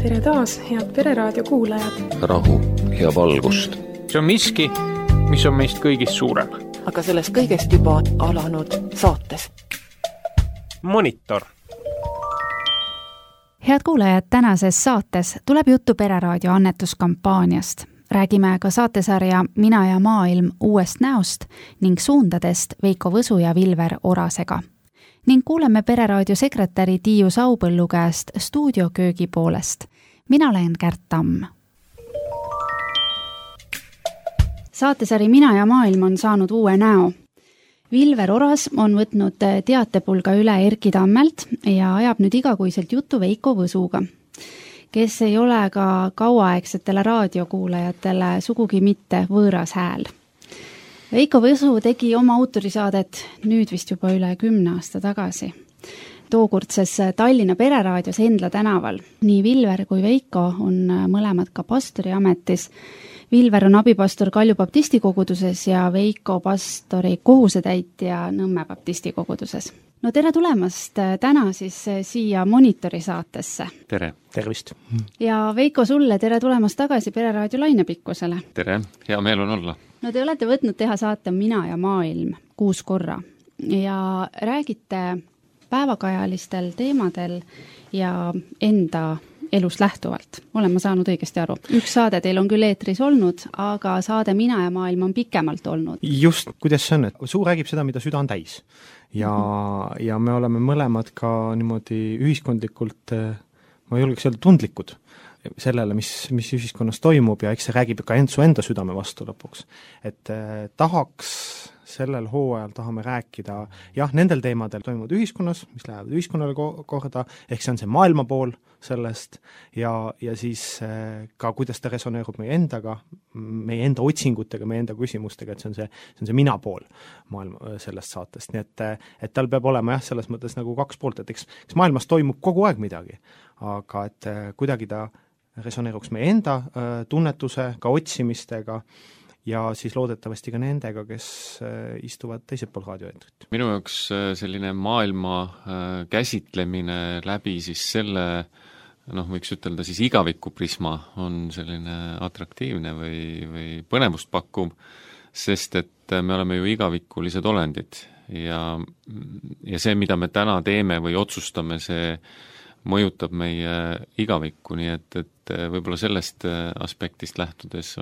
Tere taas, head Pereraadio kuulajad. Rahu ja valgust. See on miski, mis on meist kõigist suurem. Aga sellest kõigest juba alanud saates. Monitor. Head kuulajad, tänases saates tuleb juttu Pereraadio annetuskampaaniast. Räägime ka saatesarja Mina ja maailm uuest näost ning suundadest Veiko Võsu ja Vilver Orasega. Ning kuuleme Pereraadio sekretäri Tiiu Saupõllu käest stuudioköögi poolest. Mina olen Kärt Tamm. Saatesari Mina ja maailm on saanud uue näo. Vilver Oras on võtnud teatepulga üle Erki Tammelt ja ajab nüüd igakuiselt juttu Veiko Võsuga, kes ei ole ka kauaaegsetele raadiokuulajatele sugugi mitte võõras hääl. Veiko Võsu tegi oma autorisaadet nüüd vist juba üle 10 aasta tagasi. Tookordses Tallinna Pereraadios Endla tänaval. Nii Vilver kui Veiko on mõlemad ka pastori ametis. Vilver on abipastor Kalju baptistikoguduses ja Veiko pastori kohusetäitja Nõmme baptistikoguduses. No tere tulemast täna siis siia Monitori saatesse. Tere. Tervist. Ja Veiko sulle tere tulemast tagasi Pereraadio lainepikkusele. Tere, hea meel on olla. No te olete võtnud teha saate Mina ja maailm 6 korra ja räägite päevakajalistel teemadel ja enda elust lähtuvalt. Olen ma saanud õigesti aru. Üks saade teil on küll eetris olnud, aga saade Mina ja maailm on pikemalt olnud. Just, kuidas see on, et suu räägib seda, mida süda on täis. Ja me oleme mõlemad ka niimoodi ühiskondlikult, ma julgeks öelda, tundlikud sellele, mis ühiskonnas toimub ja eks see räägib ka su enda südame vastu lõpuks. Et tahaks sellel hooajal tahame rääkida nendel teemadel toimuvad ühiskonnas, mis lähevad ühiskonnale korda, ehk see on see maailma pool sellest ja siis ka kuidas ta resoneerub meie endaga, meie enda otsingutega, meie enda küsimustega, et see on see mina pool maailma sellest saatest. Nii et tal peab olema selles mõttes nagu 2 poolt, et eks maailmas toimub kogu aeg midagi, aga et kuidagi ta resoneeruks meie enda tunnetuse, ka otsimistega ja siis loodetavasti ka nendega, kes istuvad teisel pool raadioeetrit. Minu jaoks selline maailma käsitlemine läbi siis selle, võiks ütelda siis igaviku prisma on selline atraktiivne või põnevust pakkuv, sest et me oleme ju igavikulised olendid ja see, mida me täna teeme või otsustame, see mõjutab meie igavikku, nii et võib-olla sellest aspektist lähtudes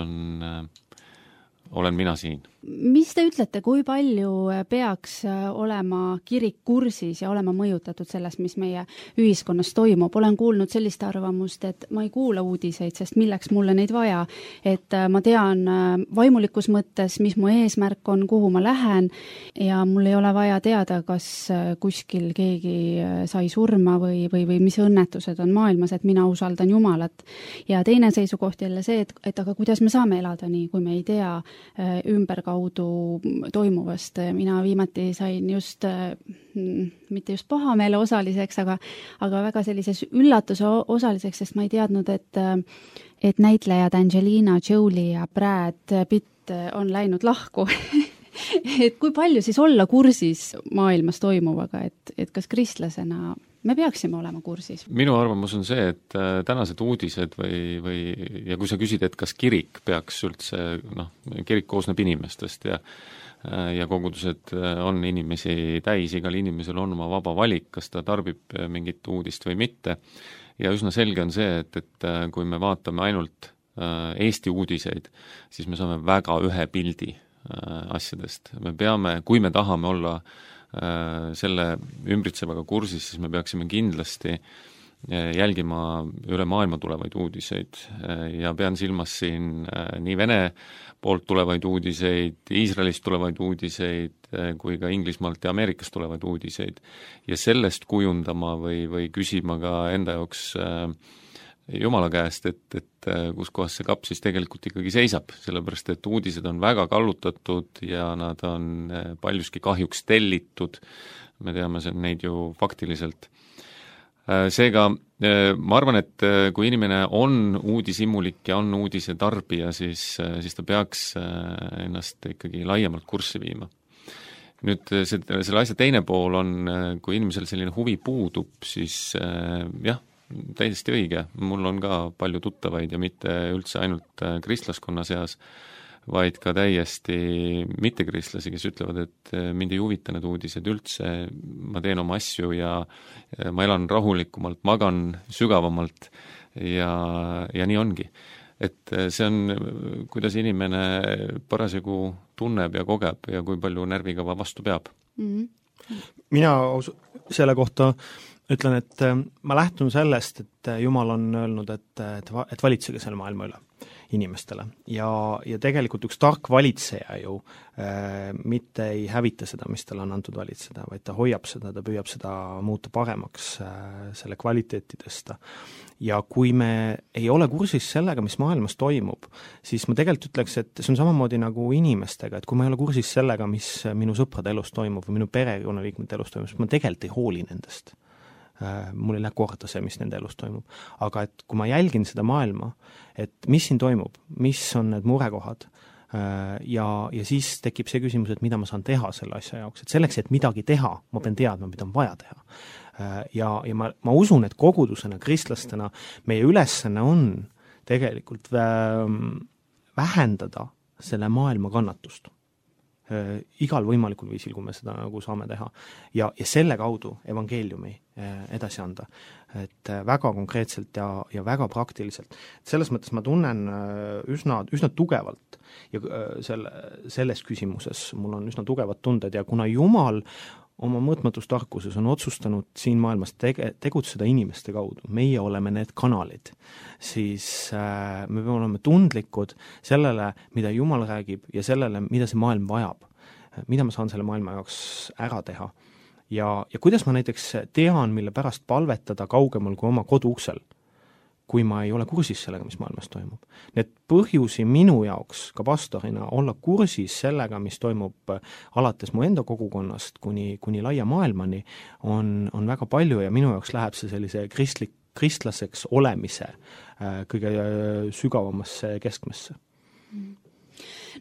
olen mina siin. Mis te ütlete, kui palju peaks olema kirik kursis ja olema mõjutatud sellest, mis meie ühiskonnas toimub? Olen kuulnud sellist arvamust, et ma ei kuula uudiseid, sest milleks mulle neid vaja, et ma tean vaimulikus mõttes, mis mu eesmärk on, kuhu ma lähen ja mul ei ole vaja teada, kas kuskil keegi sai surma või mis õnnetused on maailmas, et mina usaldan Jumalat. Ja teine seisukoht jälle see, et aga kuidas me saame elada nii, kui me ei tea ümberkaudu toimuvast. Mina viimati sain just, mitte just pahameele osaliseks, aga väga sellises üllatuse osaliseks, sest ma ei teadnud, et näitlejad Angelina Jolie ja Brad Pitt on läinud lahku. Et kui palju siis olla kursis maailmas toimuvaga, et kas kristlasena me peaksime olema kursis? Minu arvamus on see, et tänased uudised ja kui sa küsid, et kas kirik peaks üldse, kirik koosneb inimestest ja kogudused on inimesi täis, igal inimesel on oma vaba valik, kas ta tarbib mingit uudist või mitte. Ja üsna selge on see, et kui me vaatame ainult Eesti uudiseid, siis me saame väga ühe pildi asjadest. Me peame, kui me tahame olla selle ümbritsevaga kursis, siis me peaksime kindlasti jälgima üle maailma tulevaid uudiseid ja pean silmas siin nii Vene poolt tulevaid uudiseid, Iisraelist tulevaid uudiseid kui ka Inglismaalt ja Ameerikast tulevaid uudiseid ja sellest kujundama või küsima ka enda jaoks Jumala käest, et kus kohas see kapp siis tegelikult ikkagi seisab, sellepärast et uudised on väga kallutatud ja nad on paljuski kahjuks tellitud, me teame neid ju faktiliselt. Seega ma arvan, et kui inimene on uudisimulik ja on uudise tarbija, siis ta peaks ennast ikkagi laiemalt kurssi viima. Nüüd selle asja teine pool on, kui inimesel selline huvi puudub, siis täiesti õige, mul on ka palju tuttavaid ja mitte üldse ainult kristlaskonna seas, vaid ka täiesti mittekristlasi, kes ütlevad, et mind ei huvita need uudised üldse, ma teen oma asju ja ma elan rahulikumalt, magan sügavamalt ja nii ongi. Et see on, kuidas inimene parasjagu tunneb ja kogeb ja kui palju närvikava vastu peab. Mina selle kohta ütlen, et ma lähtun sellest, et Jumal on öelnud, et valitsege selle maailma üle inimestele ja tegelikult üks tark valitseja ju mitte ei hävita seda, mis talle on antud valitseda, vaid ta hoiab seda, ta püüab seda muuta paremaks, selle kvaliteeti tõsta. Ja kui me ei ole kursis sellega, mis maailmas toimub, siis ma tegelikult ütleks, et see on samamoodi nagu inimestega, et kui ma ei ole kursis sellega, mis minu sõprade elus toimub või minu perekonnaliikmete elus toimub, siis ma tegelikult ei hooli nendest. Mul ei lähe korda see, mis nende elus toimub. Aga et kui ma jälgin seda maailma, et mis siin toimub, mis on need murekohad ja siis tekib see küsimus, et mida ma saan teha selle asja jaoks, et selleks, et midagi teha, ma pean teadma, mida on vaja teha. Ja ma usun, et kogudusena, kristlastena meie ülesanne on tegelikult vähendada selle maailma kannatust. Igal võimalikul viisil, kui me seda nagu saame teha ja selle kaudu evangeeliumi edasi anda, et väga konkreetselt ja väga praktiliselt. Selles mõttes ma tunnen üsna tugevalt ja selles küsimuses mul on üsna tugevad tunded ja kuna Jumal oma mõõtmatus tarkuses on otsustanud siin maailmas tegutseda inimeste kaudu, meie oleme need kanalid, siis me peame olema tundlikud sellele, mida Jumal räägib ja sellele, mida see maailm vajab, mida ma saan selle maailma jaoks ära teha. Ja kuidas ma näiteks tean, mille pärast palvetada kaugemal kui oma koduuksel, kui ma ei ole kursis sellega, mis maailmas toimub. Need põhjusi minu jaoks ka pastorina olla kursis sellega, mis toimub alates mu enda kogukonnast kuni laia maailmani, on väga palju ja minu jaoks läheb see sellise kristlaseks olemise kõige sügavamasse keskmesse.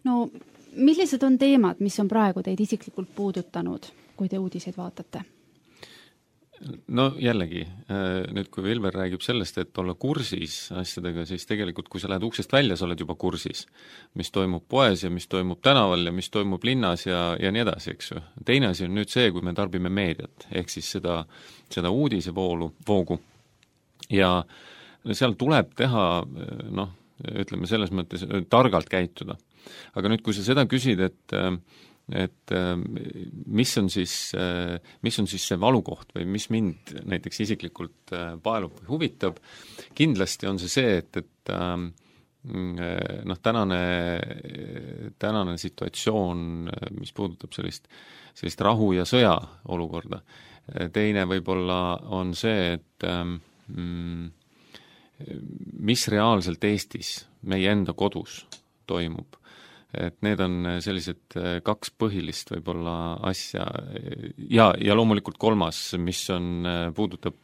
No millised on teemad, mis on praegu teid isiklikult puudutanud, kui te uudiseid vaatate? No jällegi, nüüd kui Vilver räägib sellest, et olla kursis asjadega, siis tegelikult kui sa lähed uksest välja, sa oled juba kursis, mis toimub poes ja mis toimub tänaval ja mis toimub linnas ja nii edasi, eks ju. Teine asi on nüüd see, kui me tarbime meediat, ehk siis seda uudisevoogu ja seal tuleb teha, ütleme selles mõttes, targalt käituda. Aga nüüd, kui sa seda küsid, et mis on siis see valukoht või mis mind näiteks isiklikult paelub või huvitab, kindlasti on see, et tänane situatsioon, mis puudutab sellist rahu ja sõja olukorda. Teine võib-olla on see, et mis reaalselt Eestis, meie enda kodus toimub. Et need on sellised kaks põhilist võib-olla asja ja loomulikult kolmas, mis puudutab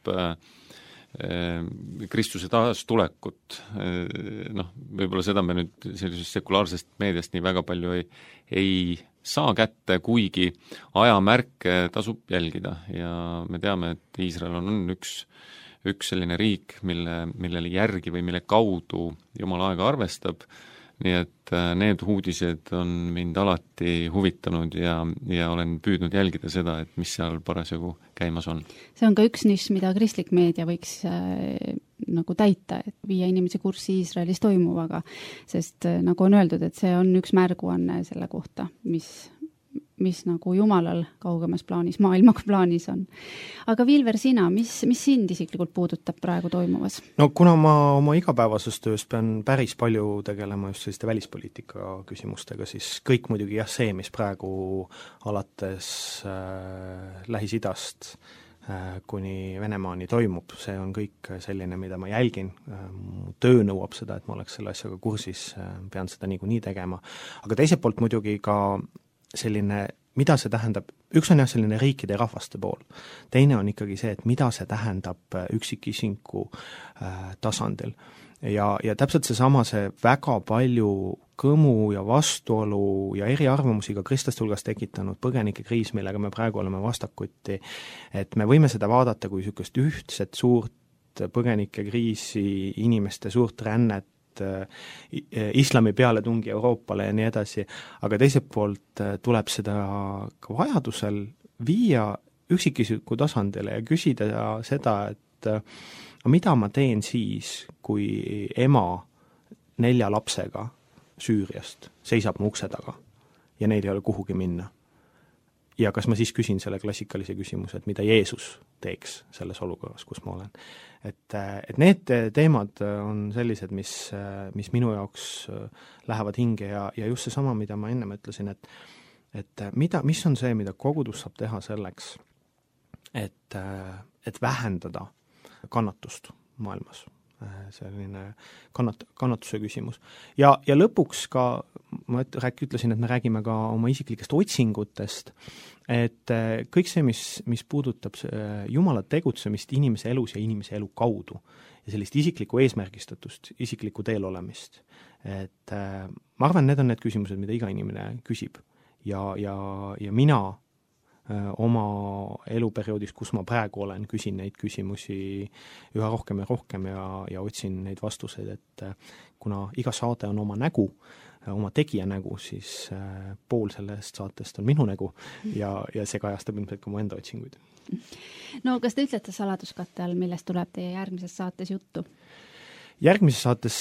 Kristuse taastulekut. Võib-olla seda me nüüd sellisest sekulaarsest meediast nii väga palju ei saa kätte, kuigi ajamärke tasub jälgida ja me teame, et Iisrael on üks selline riik, millele järgi või mille kaudu Jumal aega arvestab. Nii et need uudised on mind alati huvitanud ja olen püüdnud jälgida seda, et mis seal parasjagu käimas on. See on ka üks nišš, mida kristlik meedia võiks nagu täita, et viia inimesi kurssi Iisraelis toimuvaga, sest nagu on öeldud, et see on üks märguanne selle kohta, mis nagu Jumalal kaugemas plaanis, maailmaga plaanis on. Aga Vilver, sina, mis sind isiklikult puudutab praegu toimuvas? No kuna ma oma igapäevases töös pean päris palju tegelema just selliste välispoliitika küsimustega, siis kõik muidugi see, mis praegu alates Lähis-Idast kuni Venemaani toimub, see on kõik selline, mida ma jälgin. Töö nõuab seda, et ma oleks selle asjaga kursis, pean seda niikuinii tegema. Aga teiselt poolt muidugi ka selline, mida see tähendab, üks on selline riikide ja rahvaste pool, teine on ikkagi see, et mida see tähendab üksikisinku tasandil. Ja täpselt see väga palju kõmu ja vastuolu ja eriarvamusi ka kristlaste hulgas tekitanud põgenikekriis, millega me praegu oleme vastakuti, et me võime seda vaadata kui niisugust ühtset suurt põgenikekriisi, inimeste suurt rännet, islami pealetungi Euroopale ja nii edasi, aga teiselt poolt tuleb seda ka vajadusel viia üksikisiku tasandile ja küsida seda, et mida ma teen siis, kui ema 4 lapsega Süüriast seisab mu ukse taga ja neil ei ole kuhugi minna. Ja kas ma siis küsin selle klassikalise küsimuse, et mida Jeesus teeks selles olukorras, kus ma olen. Et need teemad on sellised, mis minu jaoks lähevad hinge ja just see sama, mida ma ennem ütlesin, et mis on see, mida kogudus saab teha selleks, et vähendada kannatust maailmas. Selline kannatuse küsimus. Ja lõpuks ka, ma ütlesin, et me räägime ka oma isiklikest otsingutest, et kõik see, mis puudutab Jumala tegutsemist inimese elus ja inimese elu kaudu ja sellist isiklikku eesmärgistatust, isiklikku teel olemist. Et ma arvan, need on need küsimused, mida iga inimene küsib ja mina oma eluperioodis, kus ma praegu olen, küsin neid küsimusi üha rohkem ja otsin neid vastuseid, et kuna iga saade on oma nägu, oma tegija nägu, siis pool sellest saatest on minu nägu ja see kajastab ilmselt ka mu enda otsinguid. No kas te ütlete saladuskatte all, millest tuleb teie järgmises saates juttu? Järgmises saates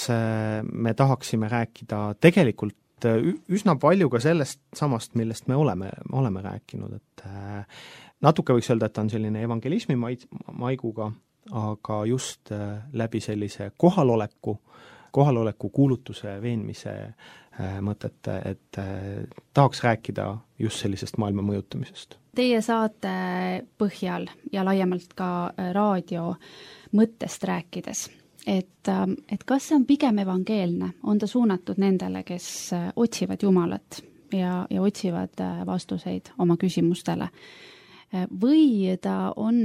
me tahaksime rääkida tegelikult üsna palju ka sellest samast, millest me oleme rääkinud, et natuke võiks öelda, et ta on selline evangelismi maiguga, aga just läbi sellise kohaloleku kuulutuse veenmise mõtet, et tahaks rääkida just sellisest maailma mõjutamisest. Teie saate põhjal ja laiemalt ka raadio mõttest rääkides, et kas see on pigem evangeelne, on ta suunatud nendele, kes otsivad Jumalat ja otsivad vastuseid oma küsimustele, või ta on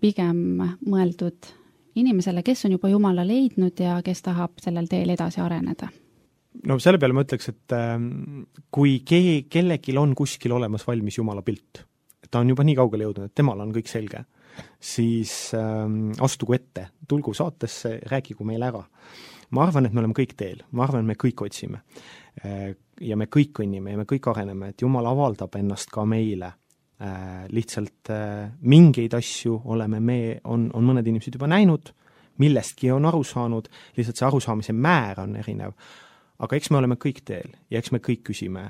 pigem mõeldud inimesele, kes on juba Jumala leidnud ja kes tahab sellel teel edasi areneda? No selle peale ma ütleks, et kui kellelgi on kuskil olemas valmis Jumala pilt, ta on juba nii kaugele jõudnud, et temal on kõik selge, siis astugu ette, tulgu saatesse, rääkigu meile ära. Ma arvan, et me oleme kõik teel, ma arvan, et me kõik otsime ja me kõik õnnime ja me kõik areneme, et Jumal avaldab ennast ka meile. Lihtsalt mingeid asju on mõned inimesed juba näinud, millestki on aru saanud, lihtsalt see arusaamise määr on erinev. Aga eks me oleme kõik teel ja eks me kõik küsime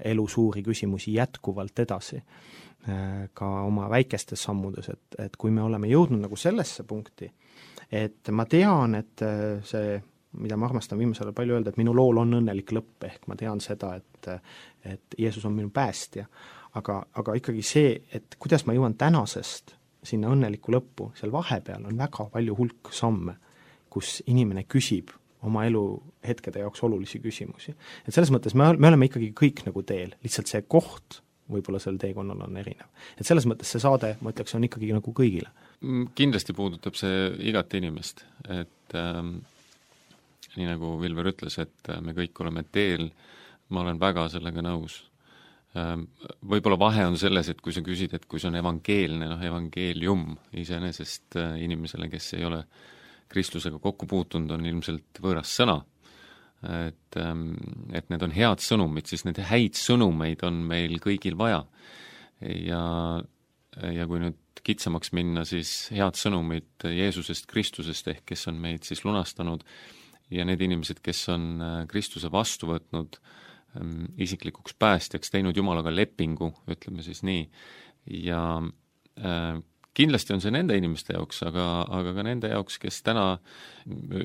elu suuri küsimusi jätkuvalt edasi ka oma väikestes sammudes, et kui me oleme jõudnud nagu sellesse punkti, et ma tean, et see, mida ma armastan viimasel palju öelda, et minu lool on õnnelik lõpp, ehk ma tean seda, et Jeesus on minu päästja, aga ikkagi see, et kuidas ma jõuan tänasest sinna õnneliku lõppu, seal vahepeal on väga palju hulk samme, kus inimene küsib oma elu hetkede jaoks olulisi küsimusi. Et selles mõttes me oleme ikkagi kõik nagu teel, lihtsalt see koht võib-olla sel teekonnal on erinev. Et selles mõttes see saade, ma ütleks, on ikkagi nagu kõigile. Kindlasti puudutab see igat inimest, et nii nagu Vilver ütles, et me kõik oleme teel, ma olen väga sellega nõus. Võib-olla vahe on selles, et kui sa küsid, et kui see on evangeelne, evangeelium iseenesest inimesele, kes ei ole Kristlusega kokku puutunud, on ilmselt võõras sõna, et need on head sõnumid, siis need häid sõnumeid on meil kõigil vaja. Ja kui nüüd kitsamaks minna, siis head sõnumid Jeesusest, Kristusest ehk kes on meid siis lunastanud ja need inimesed, kes on Kristuse vastu võtnud isiklikuks päästjaks, teinud Jumalaga lepingu, ütleme siis nii, ja kindlasti on see nende inimeste jaoks, aga ka nende jaoks, kes täna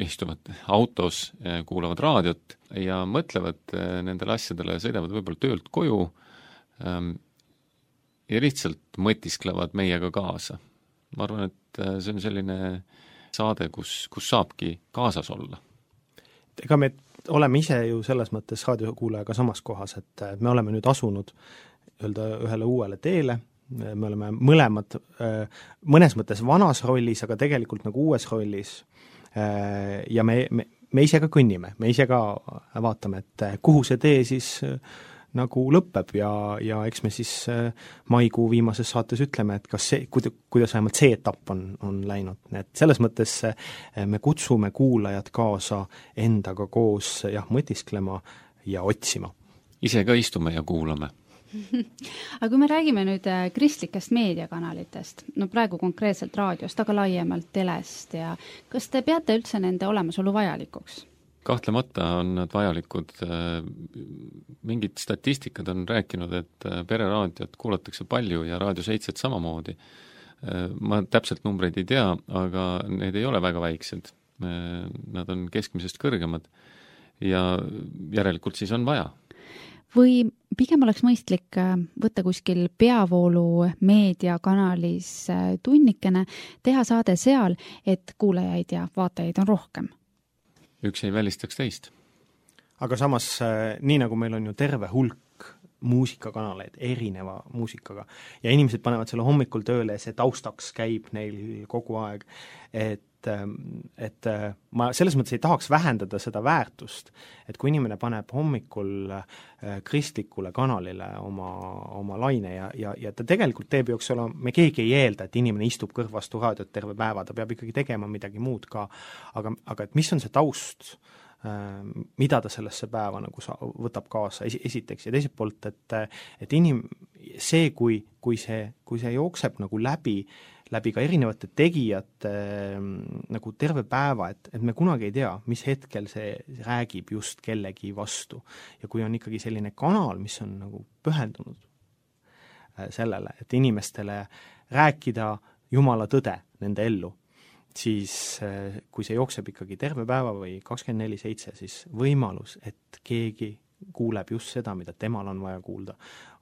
istuvad autos, kuulavad raadiot ja mõtlevad nendele asjadele, sõidavad võib-olla töölt koju ja lihtsalt mõtisklevad meiega kaasa. Ma arvan, et see on selline saade, kus saabki kaasas olla. Ega me oleme ise ju selles mõttes raadiokuulajaga samas kohas, et me oleme nüüd asunud ühele uuele teele, me oleme mõlemad mõnes mõttes vanas rollis, aga tegelikult nagu uues rollis ja me ise ka kõnnime, me ise ka vaatame, et kuhu see tee siis nagu lõpeb ja eks me siis maikuu viimases saates ütleme, et kas see, kuidas vähemalt see etapp on läinud. Et selles mõttes me kutsume kuulajad kaasa endaga koos mõtisklema ja otsima. Ise ka istume ja kuulame. Aga kui me räägime nüüd kristlikest meediakanalitest, no praegu konkreetselt raadiost, aga laiemalt telest ja kas te peate üldse nende olemasolu vajalikuks? Kahtlemata on nad vajalikud. Mingid statistikad on rääkinud, et pereraadiot kuulatakse palju ja Raadio 7 samamoodi. Ma täpselt numbreid ei tea, aga need ei ole väga väiksed. Nad on keskmisest kõrgemad ja järelikult siis on vaja. Või pigem oleks mõistlik võtta kuskil peavoolu meediakanalis tunnikene, teha saade seal, et kuulajaid ja vaatajaid on rohkem. Üks ei välistaks teist. Aga samas, nii nagu meil on ju terve hulk muusikakanaleid erineva muusikaga ja inimesed panevad selle hommikul tööle ja see taustaks käib neil kogu aeg, et ma selles mõttes ei tahaks vähendada seda väärtust, et kui inimene paneb hommikul kristlikule kanalile oma laine ja ta tegelikult teeb ju, eks ole, me keegi ei eelda, et inimene istub kõrvastu raadiot terve päeva, ta peab ikkagi tegema midagi muud ka, aga et mis on see taust, mida ta sellesse päeva nagu võtab kaasa esiteks ja teiselt poolt, et see, kui see jookseb nagu läbi ka erinevate tegijate nagu terve päeva, et me kunagi ei tea, mis hetkel see räägib just kellegi vastu. Ja kui on ikkagi selline kanal, mis on nagu pühendunud sellele, et inimestele rääkida Jumala tõde nende ellu, siis kui see jookseb ikkagi terve päeva või 24/7, siis võimalus, et keegi kuuleb just seda, mida temal on vaja kuulda,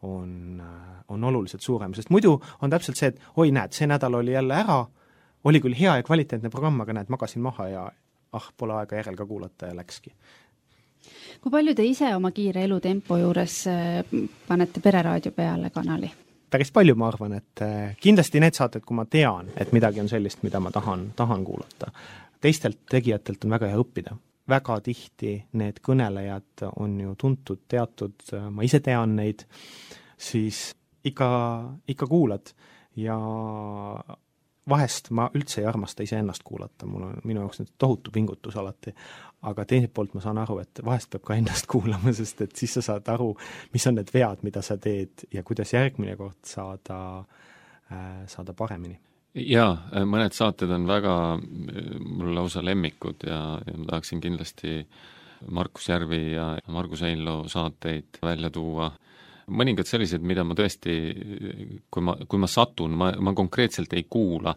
on oluliselt suurem, sest muidu on täpselt see, et oi näed, see nädal oli jälle ära, oli küll hea ja kvaliteetne programm, aga näed, magasin maha ja pole aega järel ka kuulata ja läkski. Kui palju te ise oma kiire elutempo juures panete pereraadio peale kanali? Päris palju, ma arvan, et kindlasti need saated, kui ma tean, et midagi on sellist, mida ma tahan kuulata. Teistelt tegijatelt on väga hea õppida. Väga tihti need kõnelejad on ju tuntud, teatud, ma ise tean neid, siis ikka kuulad ja vahest ma üldse ei armasta ise ennast kuulata, minu jaoks nüüd tohutu pingutus alati, aga teiselt poolt ma saan aru, et vahest peab ka ennast kuulama, sest et siis sa saad aru, mis on need vead, mida sa teed ja kuidas järgmine kord saada paremini. Jaa, mõned saated on väga mul lausa lemmikud ja ma tahaksin kindlasti Markus Järvi ja Margus Einloo saateid välja tuua. Mõningad sellised, mida ma tõesti, kui ma satun, ma konkreetselt ei kuula,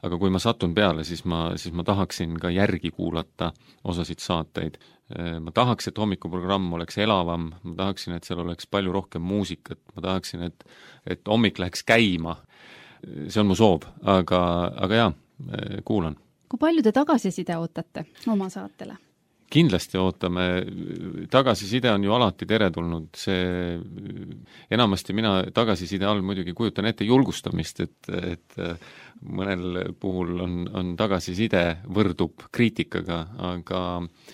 aga kui ma satun peale, siis ma tahaksin ka järgi kuulata osasid saateid. Ma tahaks, et hommikuprogramm oleks elavam, ma tahaksin, et seal oleks palju rohkem muusikat, ma tahaksin, et hommik läheks käima. See on mu soov, aga jah, kuulan. Kui palju te tagasiside ootate oma saatele? Kindlasti ootame, tagasiside on ju alati teretulnud, see enamasti mina tagasiside all muidugi kujutan ette julgustamist, et mõnel puhul on tagasiside võrdub kriitikaga, aga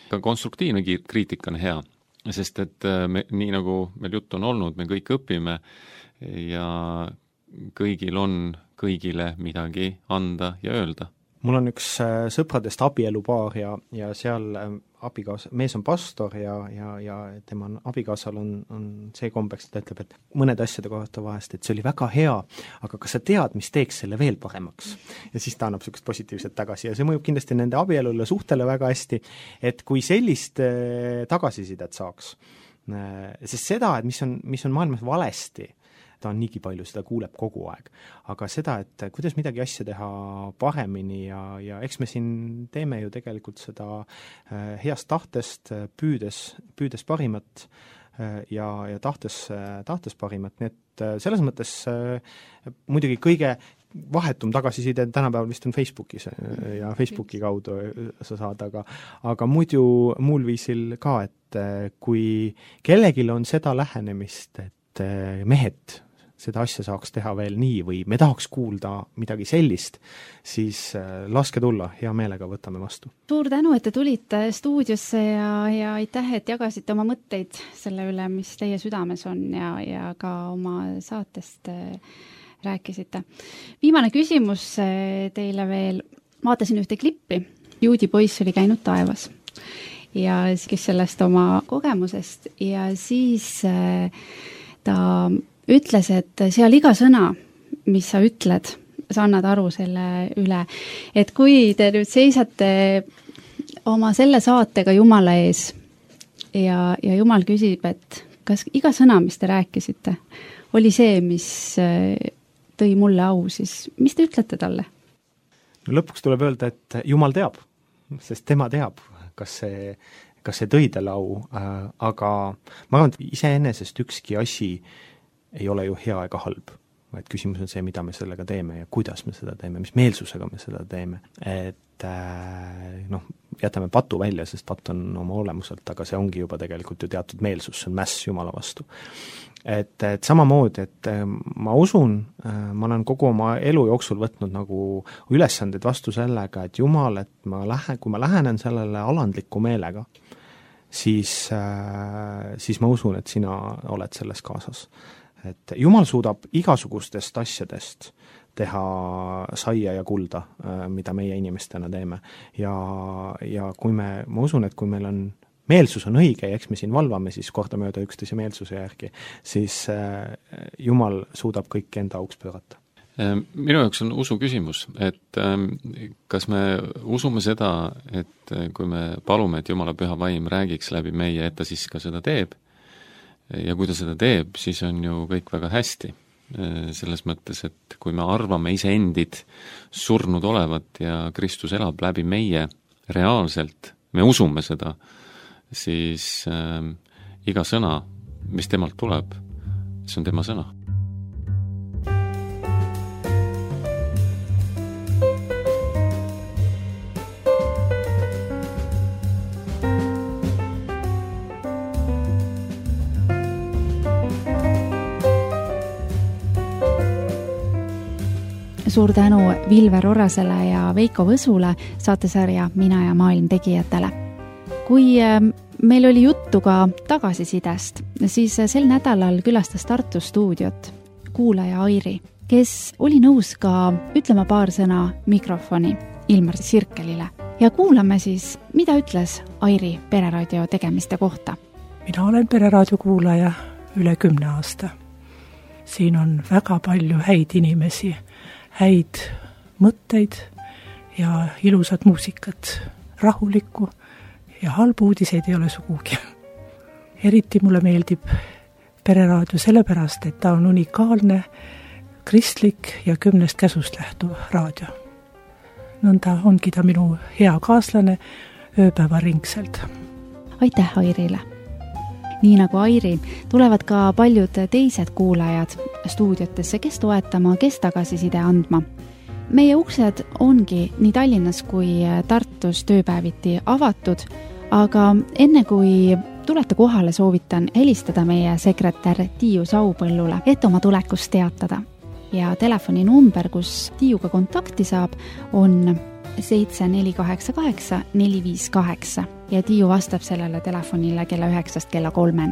ka konstruktiivne kriitika on hea, sest et nii nagu meil jutt on olnud, me kõik õpime ja kõigil on kõigile midagi anda ja öelda. Mul on üks sõpradest abielupaar ja seal mees on pastor ja tema abikaasal on see kombeks, et ta ütleb, et mõned asjade kohta vahest, et see oli väga hea, aga kas sa tead, mis teeks selle veel paremaks? Ja siis ta annab sellist positiivset tagasi ja see mõjub kindlasti nende abielule suhtele väga hästi, et kui sellist tagasisidet saaks, sest seda, et mis on maailmas valesti, ta on niigi palju, seda kuuleb kogu aeg. Aga seda, et kuidas midagi asja teha paremini ja eks me siin teeme ju tegelikult seda heast tahtest, püüdes parimat ja tahtes parimat, nii et selles mõttes muidugi kõige vahetum tagasiside tänapäeval vist on Facebookis ja Facebooki kaudu sa saad, aga muidu muul viisil ka, et kui kellegil on seda lähenemist, et mehed, seda asja saaks teha veel nii või me tahaks kuulda midagi sellist, siis laske tulla, hea meelega võtame vastu. Suur tänu, et te tulite stuudiosse ja aitäh, et jagasite oma mõtteid selle üle, mis teie südames on ja ka oma saatest rääkisite. Viimane küsimus teile veel. Vaatasin ühte klippi. Juudi poiss oli käinud taevas ja kes sellest oma kogemusest ja siis ta ütles, et seal iga sõna, mis sa ütled, sa annad aru selle üle, et kui te nüüd seisate oma selle saatega Jumala ees ja Jumal küsib, et kas iga sõna, mis te rääkisite, oli see, mis tõi mulle au, siis mis te ütlete talle? No lõpuks tuleb öelda, et Jumal teab, sest tema teab, kas see tõi talle au, aga ma arvan, et iseenesest ükski asi ei ole ju hea ega halb, vaid küsimus on see, mida me sellega teeme ja kuidas me seda teeme, mis meelsusega me seda teeme. Et jätame patu välja, sest patt on oma olemuselt, aga see ongi juba tegelikult ju teatud meelsus, see on mäss Jumala vastu. Et samamoodi, et ma usun, ma olen kogu oma elu jooksul võtnud nagu ülesanded vastu sellega, et Jumal, et kui ma lähenen sellele alandliku meelega, siis ma usun, et sina oled selles kaasas. Et Jumal suudab igasugustest asjadest teha saia ja kulda, mida meie inimestena teeme. Ja kui ma usun, et kui meil on meelsus on õige ja eks me siin valvame siis kordamööda üksteise meelsuse järgi, siis Jumal suudab kõik enda auks pöörata. Minu jaoks on usu küsimus, et kas me usume seda, et kui me palume, et Jumala püha vaim räägiks läbi meie, et ta siis ka seda teeb, ja kui ta seda teeb, siis on ju kõik väga hästi. Selles mõttes, et kui me arvame iseendid surnud olevat ja Kristus elab läbi meie reaalselt, me usume seda, siis iga sõna, mis temalt tuleb, see on tema sõna. Suur tänu Vilver Orrasele ja Veiko Võsule saatesarja Mina ja maailm tegijatele. Kui meil oli juttu ka tagasisidest, siis sel nädalal külastas Tartu stuudiot kuulaja Airi, kes oli nõus ka ütlema paar sõna mikrofoni Ilmar Sirkelile. Ja kuulame siis, mida ütles Airi Pereraadio tegemiste kohta. Mina olen Pereraadio kuulaja üle 10 aasta. Siin on väga palju häid inimesi, häid mõtteid ja ilusat muusikat, rahulikku ja halbu uudiseid ei ole sugugi. Eriti mulle meeldib Pereraadio sellepärast, et ta on unikaalne, kristlik ja 10 käsust lähtuv raadio. Nõnda ongi ta minu hea kaaslane ööpäevaringselt. Aitäh Airile! Nii nagu Airi, tulevad ka paljud teised kuulajad stuudiotesse, kes toetama, kes tagasiside andma. Meie uksed ongi nii Tallinnas kui Tartus tööpäeviti avatud, aga enne kui tulete kohale, soovitan helistada meie sekretär Tiiu Saupõllule, et oma tulekust teatada. Ja telefoninumber, kus Tiiuga kontakti saab, on 7488 458 ja Tiiu vastab sellele telefonile kella 9 kella 3.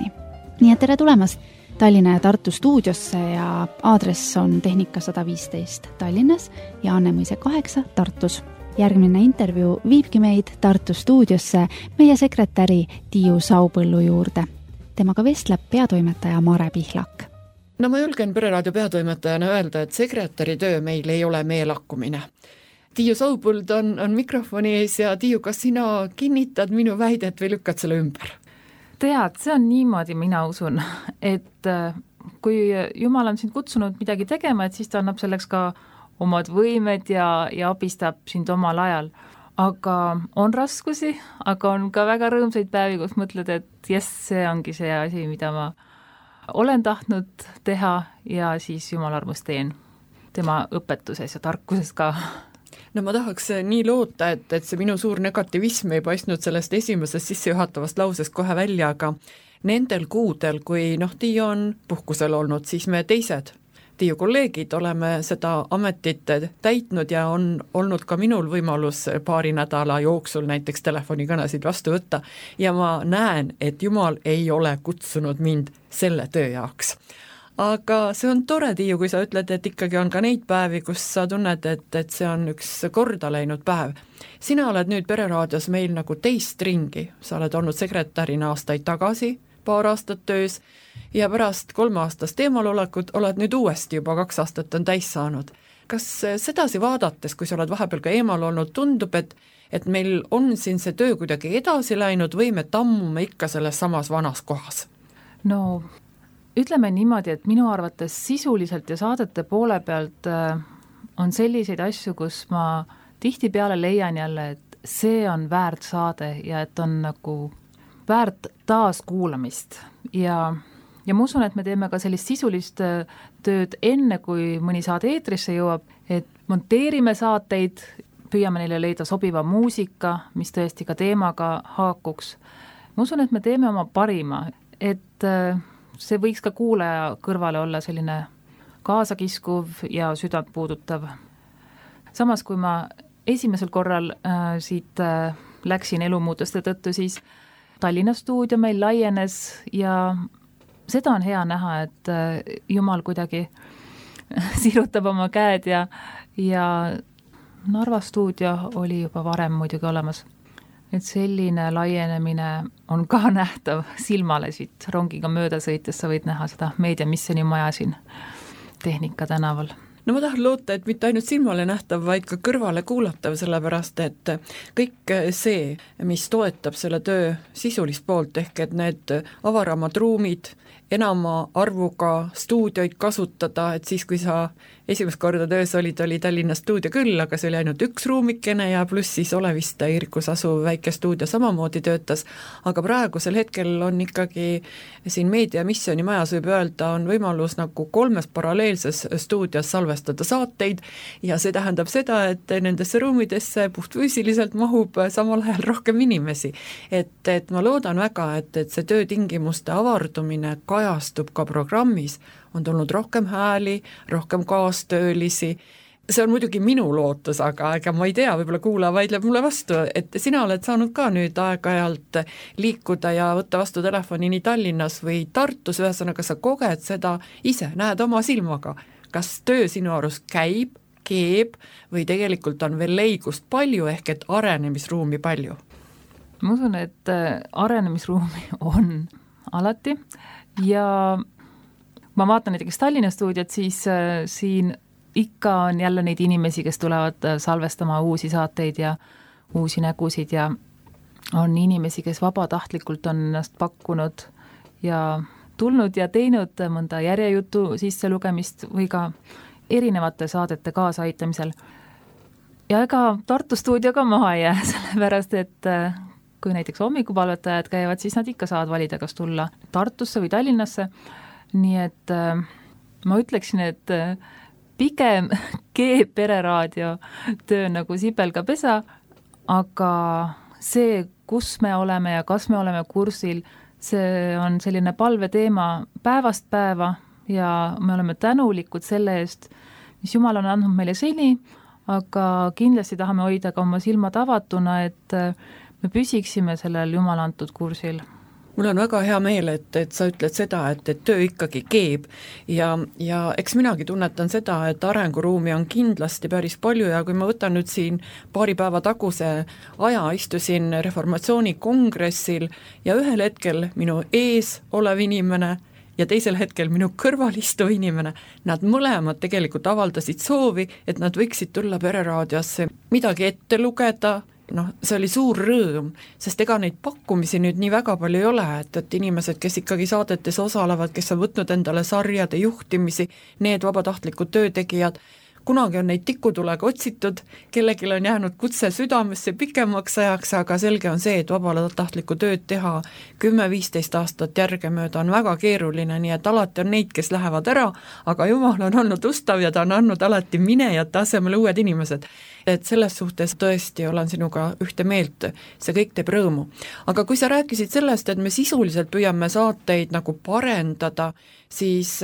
Nii et tere tulemast Tallinna ja Tartu stuudiosse ja aadress on Tehnika 115 Tallinnas ja Annemõise 8 Tartus. Järgmine intervjuu viibki meid Tartu stuudiosse meie sekretäri Tiiu Saupõllu juurde. Temaga vestleb peatoimetaja Mare Pihlak. No ma julgen Pereraadio peatoimetajana öelda, et sekretäri töö meil ei ole meelakkumine. Tiiu Saupõld on mikrofoni ees ja Tiiu, kas sina kinnitad minu väidet või lükkad selle ümber? Tead, see on niimoodi, mina usun, et kui Jumal on sind kutsunud midagi tegema, et siis ta annab selleks ka omad võimed ja abistab sind omal ajal. Aga on raskusi, aga on ka väga rõõmsaid päevi, kus mõtled, et see ongi see asi, mida ma olen tahtnud teha ja siis Jumal armus teen tema õpetuses ja tarkuses ka. No ma tahaks nii loota, et see minu suur negativism ei paistnud sellest esimesest sissejuhatavast lausest kohe välja, aga nendel kuudel, kui Tiiu on puhkusel olnud, siis me teised Tiiu kolleegid oleme seda ametit täitnud ja on olnud ka minul võimalus paari nädala jooksul näiteks telefonikõnesid vastu võtta ja ma näen, et Jumal ei ole kutsunud mind selle töö jaoks. Aga see on tore, Tiiu, kui sa ütled, et ikkagi on ka neid päevi, kus sa tunned, et see on üks korda läinud päev. Sina oled nüüd Pereraadios meil nagu teist ringi, sa oled olnud sekretärina aastaid tagasi, paar aastat töös ja pärast 3 aastast eemalolekut oled nüüd uuesti juba 2 aastat on täis saanud. Kas sedasi vaadates, kui sa oled vahepeal ka eemal olnud, tundub, et meil on siin see töö kuidagi edasi läinud või me tammume ikka selles samas vanas kohas? No ütleme niimoodi, et minu arvates sisuliselt ja saadete poole pealt on selliseid asju, kus ma tihtipeale leian jälle, et see on väärt saade ja et on nagu väärt taaskuulamist ja ma usun, et me teeme ka sellist sisulist tööd enne, kui mõni saade eetrisse jõuab, et monteerime saateid, püüame neile leida sobiva muusika, mis tõesti ka teemaga haakuks. Ma usun, et me teeme oma parima, et see võiks ka kuulaja kõrvale olla selline kaasakiskuv ja südant puudutav. Samas, kui ma esimesel korral siit läksin elumuutuste tõttu, siis Tallinna stuudio meil laienes ja seda on hea näha, et Jumal kuidagi sirutab oma käed ja Narva stuudio oli juba varem muidugi olemas. Et selline laienemine on ka nähtav silmale siit rongiga mööda sõites, sa võid näha seda meediamissjoni maja siin Tehnika tänaval. No ma tahan loota, et mitte ainult silmale nähtav, vaid ka kõrvale kuulatav, sellepärast et kõik see, mis toetab selle töö sisulist poolt, ehk et need avaramad ruumid, enama arvuga stuudioid kasutada, et siis, kui sa esimest korda töös oli Tallinna stuudio küll, aga see oli ainult üks ruumikene ja pluss siis Oleviste Irikus asuv väike stuudio samamoodi töötas, aga praegusel hetkel on ikkagi siin meediamissjoni majas võib öelda, on võimalus nagu 3 paralleelses stuudios salvestada saateid ja see tähendab seda, et nendesse ruumidesse puhtfüüsiliselt mahub samal ajal rohkem inimesi. Et ma loodan väga, et see töötingimuste avardumine kajastub ka programmis, on tulnud rohkem hääli, rohkem kaastöölisi. See on muidugi minu lootus, aga ma ei tea, võib-olla kuulaja vaidleb mulle vastu, et sina oled saanud ka nüüd aeg-ajalt liikuda ja võtta vastu telefoni nii Tallinnas või Tartus, ühesõnaga sa koged seda ise, näed oma silmaga. Kas töö sinu arust käib, keeb või tegelikult on veel leigust palju ehk et arenemisruumi palju? Ma usun, et arenemisruumi on alati ja ma vaatan näiteks Tallinna stuudiot, siis siin ikka on jälle neid inimesi, kes tulevad salvestama uusi saateid ja uusi nägusid ja on inimesi, kes vabatahtlikult on ennast pakkunud ja tulnud ja teinud mõnda järjejutu sisselugemist või ka erinevate saadete kaasaaitamisel. Ja ega Tartu stuudio ka maha ei jää, sellepärast et kui näiteks hommikupalvetajad käivad, siis nad ikka saavad valida, kas tulla Tartusse või Tallinnasse. Nii et ma ütleksin, et pigem keeb Pereraadio töö nagu sibelga pesa, aga see, kus me oleme ja kas me oleme kursil, see on selline palveteema päevast päeva ja me oleme tänulikud selle eest, mis Jumal on andnud meile seni, aga kindlasti tahame hoida ka oma silmad avatuna, et me püsiksime sellel Jumal antud kursil. Mul on väga hea meel, et sa ütled seda, et töö ikkagi keeb ja eks minagi tunnetan seda, et arenguruumi on kindlasti päris palju ja kui ma võtan nüüd siin paari päeva taguse aja, istusin reformatsiooni kongressil ja ühel hetkel minu ees olev inimene ja teisel hetkel minu kõrval istuv inimene, nad mõlemad tegelikult avaldasid soovi, et nad võiksid tulla Pereraadiosse midagi ette lugeda. See oli suur rõõm, sest ega neid pakkumisi nüüd nii väga palju ei ole, et inimesed, kes ikkagi saadetes osalevad, kes on võtnud endale sarjade juhtimisi, need vabatahtlikud töötegijad, kunagi on neid tikutulega otsitud, kellelgi on jäänud kutse südamesse pikemaks ajaks, aga selge on see, et vabatahtlikku tööd teha 10-15 aastat järgemööda on väga keeruline, nii et alati on neid, kes lähevad ära, aga Jumal on olnud ustav ja ta on andnud alati minejate asemel uued inimesed. et selles suhtes tõesti olen sinuga ühte meelt, see kõik teeb rõõmu. Aga kui sa rääkisid sellest, et me sisuliselt püüame saateid nagu parendada, siis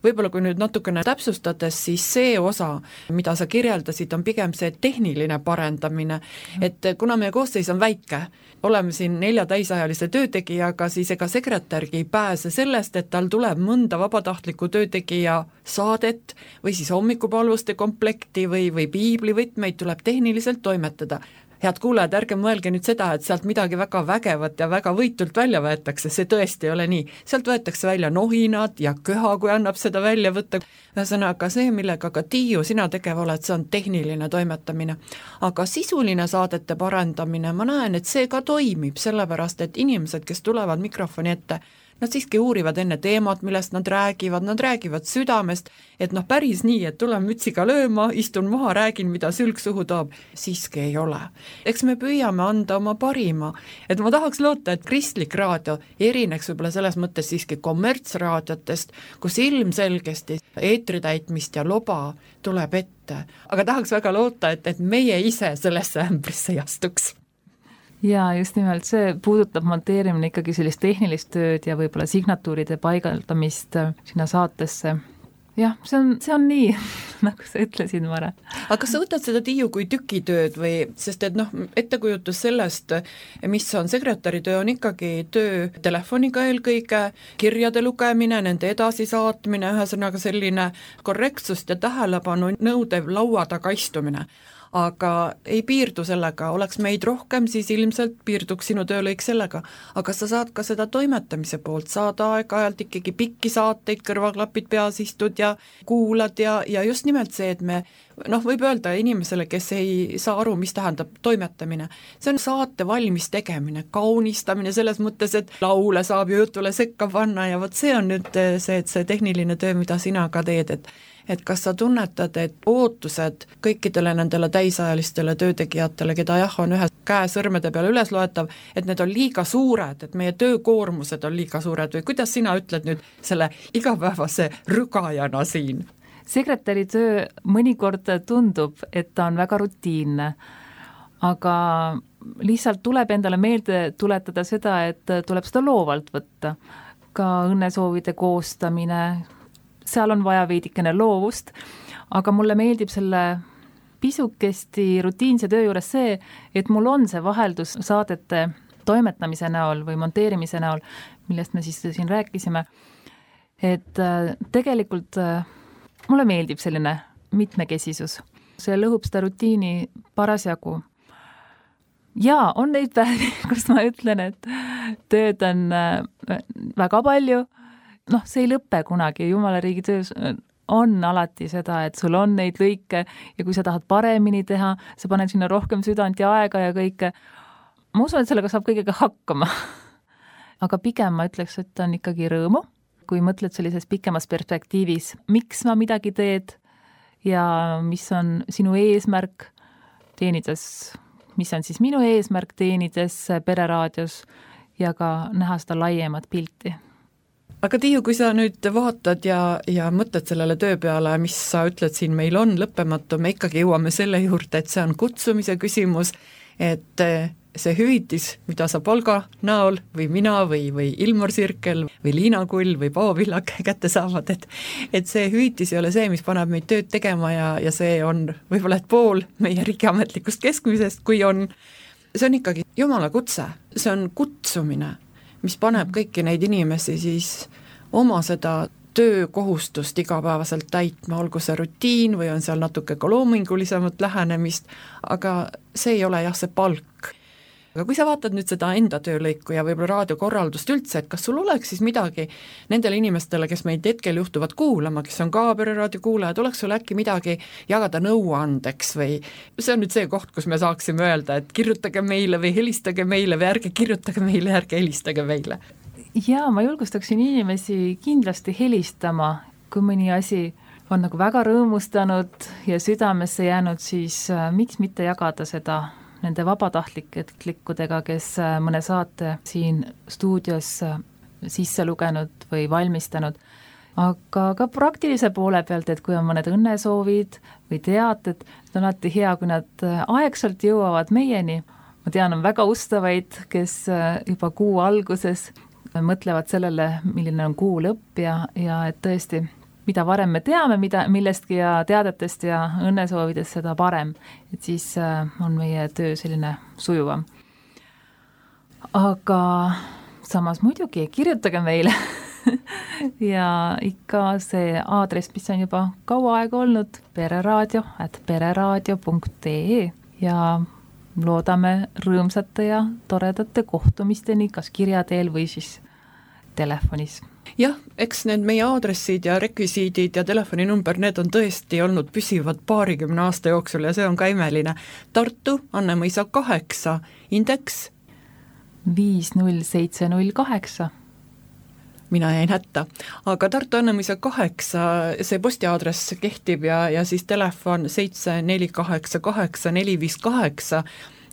võib-olla kui nüüd natukene täpsustades, siis see osa, mida sa kirjeldasid, on pigem see tehniline parendamine, et kuna meie koosseis on väike, oleme siin 4 täisajalise töötegijaga, siis ega sekretärgi ei pääse sellest, et tal tuleb mõnda vabatahtliku töötegija saadet või siis hommikupalvuste komplekti või piiblivõtmeid tuleb tehniliselt toimetada. Head kuulajad, ärge mõelge nüüd seda, et sealt midagi väga vägevat ja väga võitult välja võetakse, see tõesti ei ole nii. Sealt võetakse välja nohinad ja köha, kui annab seda välja võtta. Ühesõnaga see, millega ka Tiiu sina tegev oled, see on tehniline toimetamine. Aga sisuline saadete parandamine, ma näen, et see ka toimib, sellepärast et inimesed, kes tulevad mikrofoni ette, nad siiski uurivad enne teemat, millest nad räägivad südamest, et päris nii, et tulen mütsiga lööma, istun maha, räägin, mida sülg suhu toob, siiski ei ole. Eks me püüame anda oma parima, et ma tahaks loota, et kristlik raadio erineks võib-olla selles mõttes siiski kommertsraadiotest, kus ilmselgesti eetritäitmist ja loba tuleb ette, aga tahaks väga loota, et meie ise sellesse ämbrisse ei astuks. Ja just nimelt see puudutab monteerimine ikkagi sellist tehnilist tööd ja võib-olla signatuuride paigaldamist sinna saatesse. Jah, see on nii, nagu sa ütlesid, Mare. Aga kas sa võtad seda, Tiiu, kui tükitööd või, sest et ettekujutus sellest, mis on sekretäri töö, on ikkagi töö telefoniga eelkõige, kirjade lugemine, nende edasisaatmine, ühesõnaga selline korrektsust ja tähelepanu nõudev laua taga istumine. Aga ei piirdu sellega, oleks meid rohkem, siis ilmselt piirduks sinu töölõik sellega, aga sa saad ka seda toimetamise poolt, saad aeg-ajalt ikkagi pikki saateid, kõrvaklapid peas istud ja kuulad ja just nimelt see, et me võib öelda inimesele, kes ei saa aru, mis tähendab toimetamine, see on saate valmis tegemine, kaunistamine selles mõttes, et laule saab ju jutule sekka panna ja vot see on nüüd see tehniline töö, mida sina ka teed, et kas sa tunnetad, et ootused kõikidele nendele täisajalistele töötegijatele, keda on ühe käe sõrmede peale üles loetav, et need on liiga suured, et meie töökoormused on liiga suured või kuidas sina ütled nüüd selle igapäevase rügajana siin? Sekretäri töö mõnikord tundub, et ta on väga rutiinne, aga lihtsalt tuleb endale meelde tuletada seda, et tuleb seda loovalt võtta. Ka õnnesoovide koostamine, seal on vaja veidikene loovust, aga mulle meeldib selle pisukesti rutiinse töö juures see, et mul on see vaheldus saadete toimetamise näol või monteerimise näol, millest me siis siin rääkisime, et tegelikult mulle meeldib selline mitmekesisus. See lõhub seda rutiini parasjagu. Ja on neid päevi, kus ma ütlen, et tööd on väga palju, see ei lõppe kunagi, Jumala riigi töös on alati seda, et sul on neid lõike ja kui sa tahad paremini teha, sa paned sinna rohkem südant ja aega ja kõike. Ma usun, et sellega saab kõigega hakkama. Aga pigem ma ütleks, et on ikkagi rõõmu, kui mõtled sellises pikemas perspektiivis, miks ma midagi teed ja mis on sinu eesmärk teenides, mis on siis minu eesmärk teenides Pereraadios ja ka näha seda laiemat pilti. Aga Tiiu, kui sa nüüd vaatad ja mõtled sellele töö peale, mis sa ütled siin meil on lõppematu, me ikkagi jõuame selle juurde, et see on kutsumise küsimus, et see hüvitis, mida sa palga näol või mina või Ilmar Sirkel või Liina Kull või Paavo Villak kätte saavad, et see hüvitis ei ole see, mis paneb meid tööd tegema ja see on võib-olla et pool meie riigiametlikust keskmisest, kui on, see on ikkagi Jumala kutse, see on kutsumine, mis paneb kõiki neid inimesi siis oma seda töökohustust igapäevaselt täitma, olgu see rutiin või on seal natuke ka loomingulisemat lähenemist, aga see ei ole jah see palk. Aga kui sa vaatad nüüd seda enda töölõiku ja võib-olla raadiokorraldust üldse, et kas sul oleks siis midagi nendele inimestele, kes meid hetkel juhtuvad kuulama, kes on ka Pereraadio kuulajad, oleks sul äkki midagi jagada nõuandeks või see on nüüd see koht, kus me saaksime öelda, et kirjutage meile või helistage meile või ärge kirjutage meile, ärge helistage meile? Jaa, ma julgustaksin inimesi kindlasti helistama, kui mõni asi on nagu väga rõõmustanud ja südamesse jäänud, siis miks mitte jagada seda nende vabatahtlikudega, kes mõne saate siin stuudios sisse lugenud või valmistanud. aga ka praktilise poole pealt, et kui on mõned õnnesoovid või teated, on alati hea, kui nad aegselt jõuavad meieni. Ma tean, on väga ustavaid, kes juba kuu alguses mõtlevad sellele, milline on kuu lõpp ja et tõesti, mida varem me teame, millestki ja teadetest ja õnnesoovidest, seda parem. Et siis on meie töö selline sujuvam. Aga samas muidugi kirjutage meile ja ikka see aadress, mis on juba kaua aega olnud, pereradio@pereradio.ee ja loodame rõõmsate ja toredate kohtumisteni, kas kirja teel või siis telefonis. Jah, eks need meie aadressid ja rekvisiidid ja telefoninumber, need on tõesti olnud püsivad 20 aasta jooksul ja see on ka imeline. Tartu, Annemõisa 8, indeks 50708. Mina jäin hätta, aga Tartu Annemõisa 8, see postiaadress kehtib ja siis telefon 7488 458.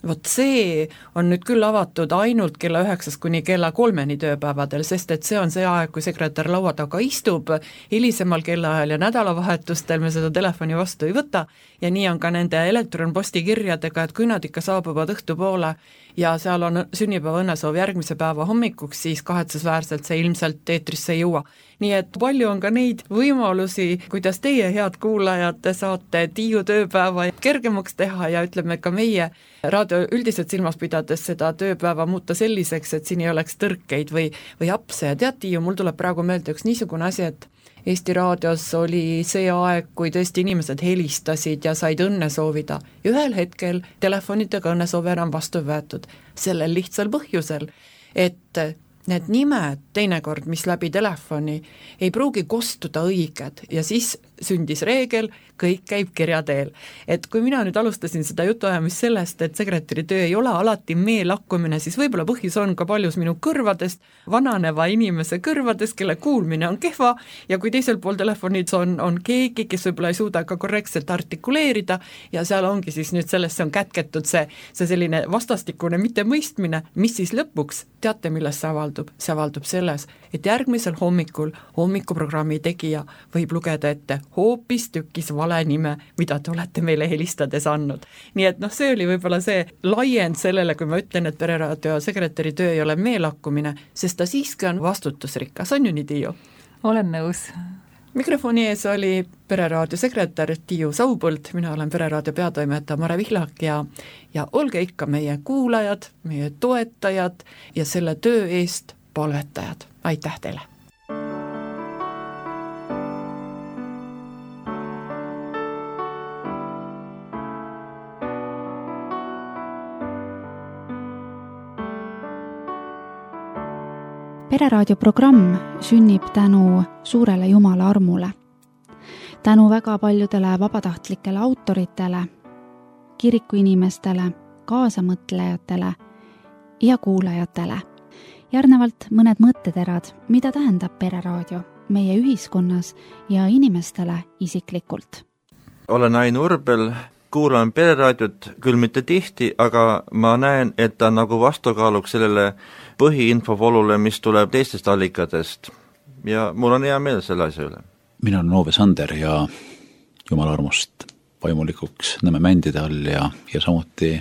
Vot see on nüüd küll avatud ainult kella 9 kuni kella 3 tööpäevadel, sest et see on see aeg, kui sekretär laua taga istub, hilisemal kellaajal ja nädalavahetustel me seda telefoni vastu ei võta ja nii on ka nende elektronpostikirjadega, et kui nad ikka saabuvad õhtupoole ja seal on sünnipäeva õnnesoov järgmise päeva hommikuks, siis kahetsusväärselt see ilmselt eetrisse ei jõua. Nii et palju on ka neid võimalusi, kuidas teie, head kuulajad, saate Tiiu tööpäeva kergemaks teha ja ütleme ka meie raadio üldiselt silmas pidades seda tööpäeva muuta selliseks, et siin ei oleks tõrkeid või apse. Ja tead, Tiiu, mul tuleb praegu meelde üks niisugune asi, et Eesti raadios oli see aeg, kui tõesti inimesed helistasid ja said õnne soovida. Ühel hetkel telefonitega õnnesoove enam vastu võetud. Sellel lihtsal põhjusel, et need nimed teinekord, mis läbi telefoni, ei pruugi kostuda õiged ja siis sündis reegel, kõik käib kirja teel. Et kui mina nüüd alustasin seda jutuajamist sellest, et sekretäri töö ei ole alati meelakkumine, siis võib-olla põhjus on ka paljus minu kõrvadest, vananeva inimese kõrvadest, kelle kuulmine on kehva ja kui teisel pool telefonid on keegi, kes võib-olla ei suuda ka korrektselt artikuleerida ja seal ongi siis nüüd sellesse on kätketud see selline vastastikune mittemõistmine, mis siis lõpuks, teate millest see avaldub? See avaldub selles, et järgmisel hommikuprogrammi tegija võib lugeda ette hoopis tükis vale nime, mida te olete meile helistades andnud. Nii et see oli võib-olla see laiend sellele, kui ma ütlen, et pereraadio sekretäri töö ei ole meelakkumine, sest ta siiski on vastutusrikas, on ju nii, Tiiu? Olen nõus. Mikrofoni ees oli pereraadio sekretär Tiiu Saupõld, mina olen pereraadio peatoimetaja Mare Vihlak ja olge ikka meie kuulajad, meie toetajad ja selle töö eest palvetajad. Aitäh teile! Pereraadio programm sünnib tänu suurele Jumala armule. Tänu väga paljudele vabatahtlikele autoritele, kirikuinimestele, kaasamõtlejatele ja kuulajatele. Järgnevalt mõned mõtteterad, mida tähendab pereraadio meie ühiskonnas ja inimestele isiklikult. Olen Ain Urbel, kuulan pereraadiot küll mitte tihti, aga ma näen, et ta nagu vastukaaluks sellele põhiinfovolule, mis tuleb teistest allikatest ja mul on hea meel selle asja üle. Mina olen Ove Sander ja Jumala armust vaimulikuks Nõmme mändide all ja samuti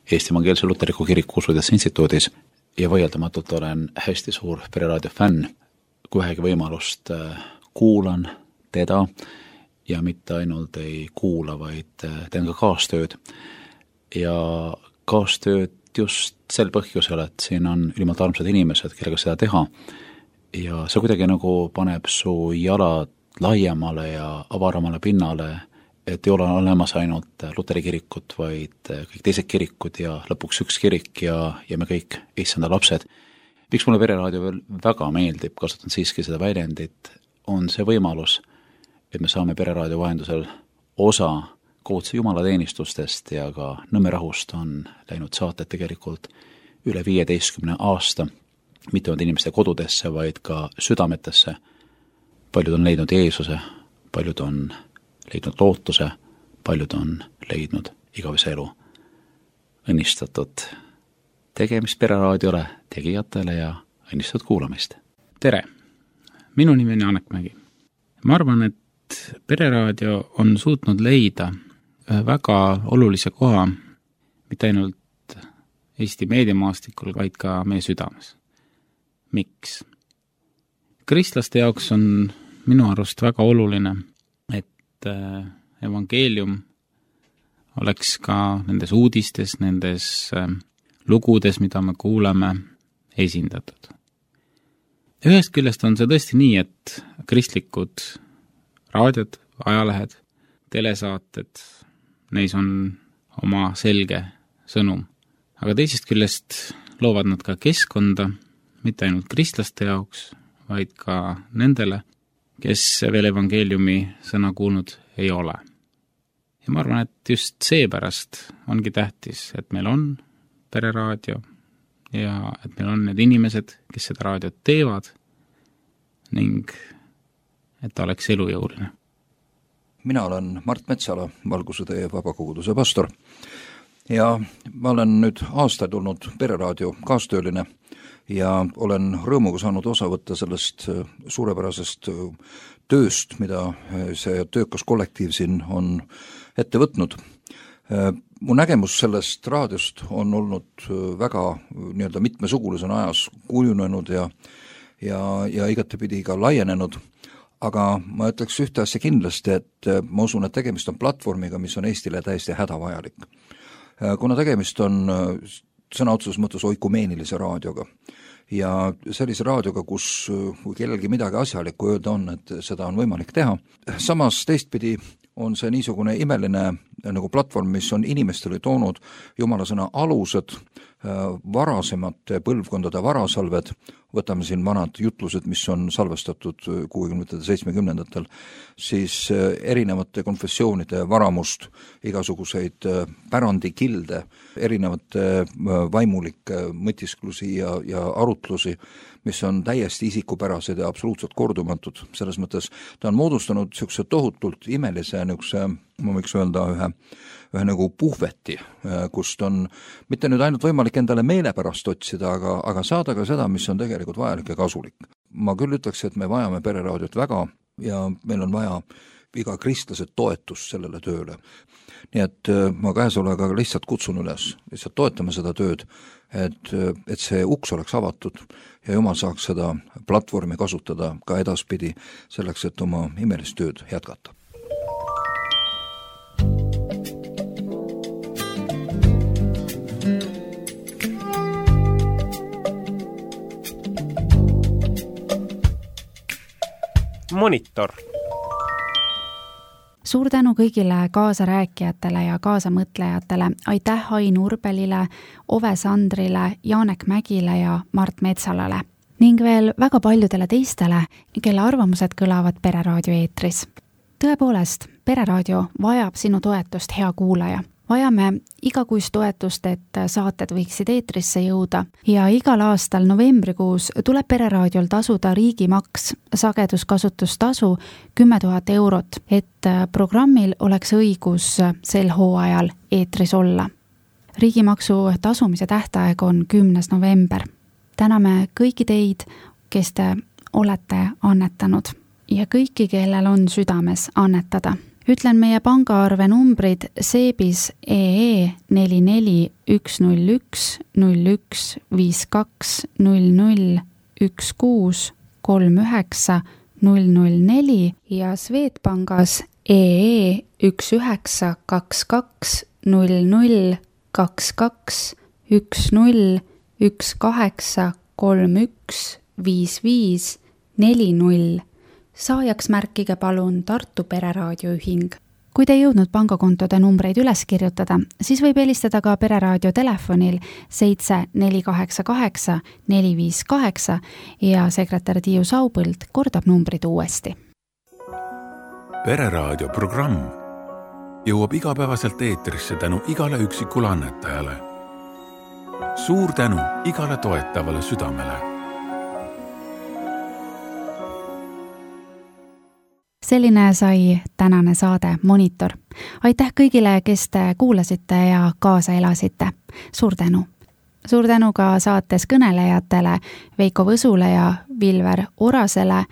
Eesti Evangeelse Luteriku Kiriku Usuteaduse Instituudis ja vaieldamatult olen hästi suur pereraadio fänn. Kui vähegi võimalust kuulan teda ja mitte ainult ei kuula, vaid teen ka kaastööd. Ja kaastööd just sel põhjusel, et siin on ülimalt armsad inimesed, kellega seda teha. Ja see kuidagi nagu paneb su jalad laiemale ja avaramale pinnale, et ei ole olemas ainult Luteri kirikut, vaid kõik teised kirikud ja lõpuks üks kirik ja me kõik issanda lapsed. Miks mulle pereraadio veel väga meeldib, kasutan siiski seda väljendit, on see võimalus, et me saame pereraadio vahendusel osa koodse jumalateenistustest ja ka Nõmme rahust on läinud saated tegelikult üle 15 aasta, mitte ainult inimeste kodudesse, vaid ka südametesse. Paljud on leidnud Jeesuse, paljud on leidnud lootuse, paljud on leidnud igavese elu. Õnnistatud tegemist pereraadiole, tegijatele ja õnnistatud kuulamist. Tere! Minu nimi on Janek Mägi. ma arvan, et Pereraadio on suutnud leida ühe väga olulise koha mitte ainult Eesti meediamaastikul, vaid ka meie südames. Miks? Kristlaste jaoks on minu arust väga oluline, et evangeelium oleks ka nendes uudistes, nendes lugudes, mida me kuuleme, esindatud. Ühest küljest on see tõesti nii, et kristlikud raadiod, ajalehed, telesaated, neis on oma selge sõnum. Aga teisest küljest loovad nad ka keskkonda, mitte ainult kristlaste jaoks, vaid ka nendele, kes veel evangeeliumi sõna kuulnud ei ole. Ja ma arvan, et just seepärast ongi tähtis, et meil on Pereraadio ja et meil on need inimesed, kes seda raadiot teevad ning et ta oleks elujõuline. Mina olen Mart Metsala, Valguse tee vabakoguduse pastor ja ma olen nüüd aastaid olnud Pereraadio kaastööline ja olen rõõmuga saanud osa võtta sellest suurepärasest tööst, mida see töökas kollektiiv siin on ette võtnud. Mu nägemus sellest raadiost on olnud väga nii-öelda mitmesugulisena ajas kujunenud ja igatepidi ka laienenud, aga ma ütleks ühte asja kindlasti, et ma usun, et tegemist on platvormiga, mis on Eestile täiesti hädavajalik. Kuna tegemist on sõna otseses mõttes oikumeenilise raadioga ja sellise raadioga, kus kui kellelgi midagi asjalikku öelda on, et seda on võimalik teha. Samas teistpidi on see niisugune imeline nagu platvorm, mis on inimestele toonud Jumala sõna alused, varasemate põlvkondade varasalved, võtame siin vanad jutlused, mis on salvestatud 60-70-ndatel, siis erinevate konfessioonide varamust, igasuguseid pärandikilde, erinevate vaimulikke mõtisklusi ja arutlusi, mis on täiesti isikupärased ja absoluutselt kordumatud. Selles mõttes ta on moodustanud niisuguse tohutult imelise niisuguse, ma võiks öelda, ühe nagu puhveti, kust on mitte nüüd ainult võimalik endale meelepärast otsida, aga saada ka seda, mis on tegelikult vajalik ja kasulik. Ma küll ütleks, et me vajame Pereraadiot väga ja meil on vaja iga kristlase toetust sellele tööle. Nii et ma käesolevaga lihtsalt kutsun üles, lihtsalt toetame seda tööd, et see uks oleks avatud ja Jumal saaks seda platvormi kasutada ka edaspidi selleks, et oma imelist tööd jätkata. Monitor. Suur tänu kõigile kaasarääkijatele ja kaasamõtlejatele. Aitäh Ain Urbelile, Ove Sandrile, Janek Mägile ja Mart Metsalale. Ning veel väga paljudele teistele, kelle arvamused kõlavad Pereraadio eetris. Tõepoolest, Pereraadio vajab sinu toetust, hea kuulaja. Vajame igakuist toetust, et saated võiksid eetrisse jõuda ja igal aastal novembrikuus tuleb Pereraadiol tasuda riigimaks, sageduskasutustasu 10 000 eurot, et programmil oleks õigus sel hooajal eetris olla. Riigimaksu tasumise tähtaeg on 10. november. Täname kõiki teid, kes te olete annetanud ja kõiki, kellel on südames annetada. Ütlen meie pangaarve numbrid SEBIS EE 44101 01 52 00 16 39 004 ja Swedbankis EE 1922 00 22 10 18 31 55 40. Saajaks märkige palun Tartu Pereraadio ühing. Kui te ei jõudnud pangakontode numbreid üles kirjutada, siis võib helistada ka Pereraadio telefonil 7488 458 ja sekretär Tiiu Saupõld kordab numbrid uuesti. Pereraadio programm jõuab igapäevaselt eetrisse tänu igale üksikule annetajale. Suur tänu igale toetavale südamele. Selline sai tänane saade Monitor. Aitäh kõigile, kes te kuulasite ja kaasa elasite. Suur tänu. Suur tänu ka saates kõnelejatele Veiko Võsule ja Vilver Orasele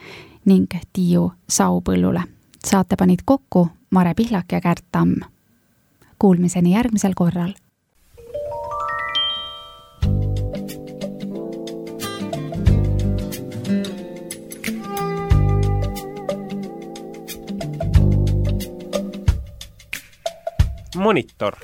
ning Tiiu Saupõllule. Saate panid kokku Mare Pihlak ja Kärt Tamm. Kuulmiseni järgmisel korral. Monitor